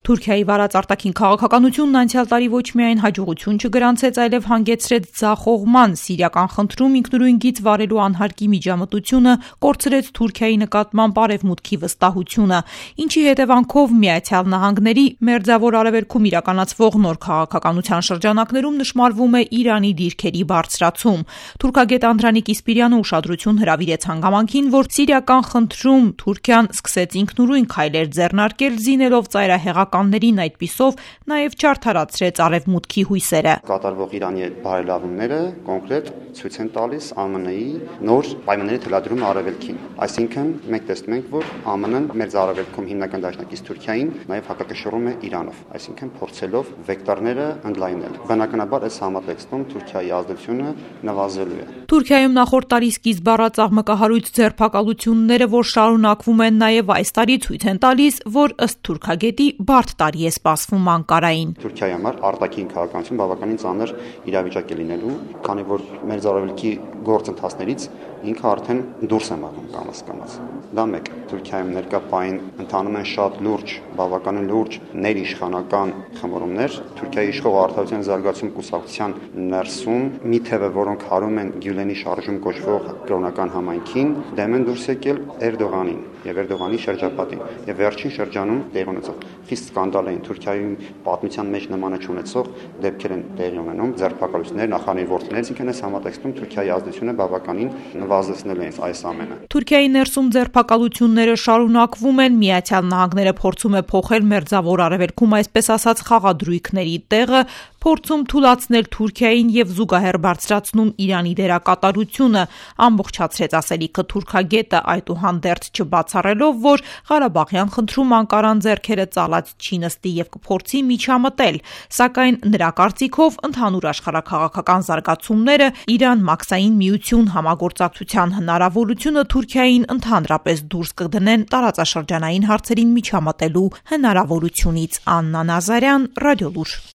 Թուրքիայի վարած արտաքին քաղաքականությունն անցյալ տարի ոչ միայն հաջողություն չգրանցեց, այլև հանգեցրեց ձախողման, սիրիական խնդրում ինքնուրույն գիծ վարելու անհարկի միջամտությունը կորցրեց Թուրքիայի նկատմամբ արևմուտքի վստահությունը, ինչի հետևանքով Միացյալ Նահանգների Մերձավոր Արևելքում իրականացվող նոր քաղաքականության շրջանակներում նշմարվում է Իրանի դիրքերի բարձրացում։ Թուրքագետ Անդրանիկ Իսպիրյանը ուշադրություն հրավիրեց հանգամանքին, որ սիրիական խնդրում Թուրքիան սկսեց ինքնուրույն քայլեր ձեռնարկել, զինելով ծայրահեղականներին, այդպիսով նաև չարդարացրեց արևմուտքի հույսերը։ Կատարվող Իրանի բարելավումները կոնկրետ ցույց են տալիս ԱՄՆ-ի նոր պայմանների թելադրումը արևելքին։ Այսինքն մենք տեսնում ենք, որ ԱՄՆ-ն Մերձարևելքում հիմնական դաշնակից Թուրքիային նաև հակակշռում է Իրանով, այսինքն փորձելով վեկտորները ընդլայնել։ Բնականաբար այս համատեքստում Թուրքիայի ազդեցությունը նվազելու է։ Թուրքիայում նախորդ տարի սկիզբ առած աղմկահարույց ձերբակալությունները, որ շարունակվում են նաև այս տարի, ցույց են տալիս, որ ըստ թուրքագետի բարդ տարի է սպասվում Անկարային։ Թուրքիայի համար արտաքին քաղաքականություն բավականին ծանր իրավիճակ է լինելու, քանի որ Մերձարևելքի գործընթացներից ինքը արդեն դուրս է մղում կամաց։ Դա մեկ։ Թուրքիայում ներկա պահին ընթանում են շատ լուրջ, բավականին լուրջ ներիշխանական խմորումներ։ Թուրքիայի իշխող Արդարության զարգացում կուսակցության ներսում մի թևը, որոնք հարում են Գյուլենի շարժում կոչվող կրոնական համայնքին, դեմ են դուրս եկել Էրդողանին եւ Էրդողանի շրջապատին։ Եվ վերջին շրջանում տեղի ունեցող խիստ սկանդալային Թուրքիայում պատմության մեջ նմանը չունեցող դեպքեր են տեղի ունենում, ձերբակալություններ, նախանձի ворթիներից, ինքն այս համատեքստում Թուրքիայի ազդեցությունը բավականին նվազեցնել է այս ամենը։ Թուրքիայի ներսում ձերբակալությունները շարունակվում են, Միացյալ Նահանգները փորձում է փոխել Մերձավոր Արևելքում այսպես ասած խաղադրույքների տեղը, փորձում թուլացնել Թուրքիային եւ զուգահեռ բարձրացնում Իրանի դերակատարությունը, ամբողջացրեց ասելիքը թուրքագետը, այդուհանդերձ չբացառելով, որ Ղարաբաղյան խնդրում Անկարան ձեռքերը ծալած չի նստի եւ կփորձի միջամտել, սակայն նրա կարծիքով ընդհանուր աշխարհաքաղաքական զարգացումները, Իրան-Մաքսային միություն համագործակցության հնարավորությունը Թուրքիային ընդհանրապես դուրս կդնեն տարածաշրջանային հարցերին միջամտելու հնարավորությունից։ Աննա Նազարյան, Ռադիոլուր։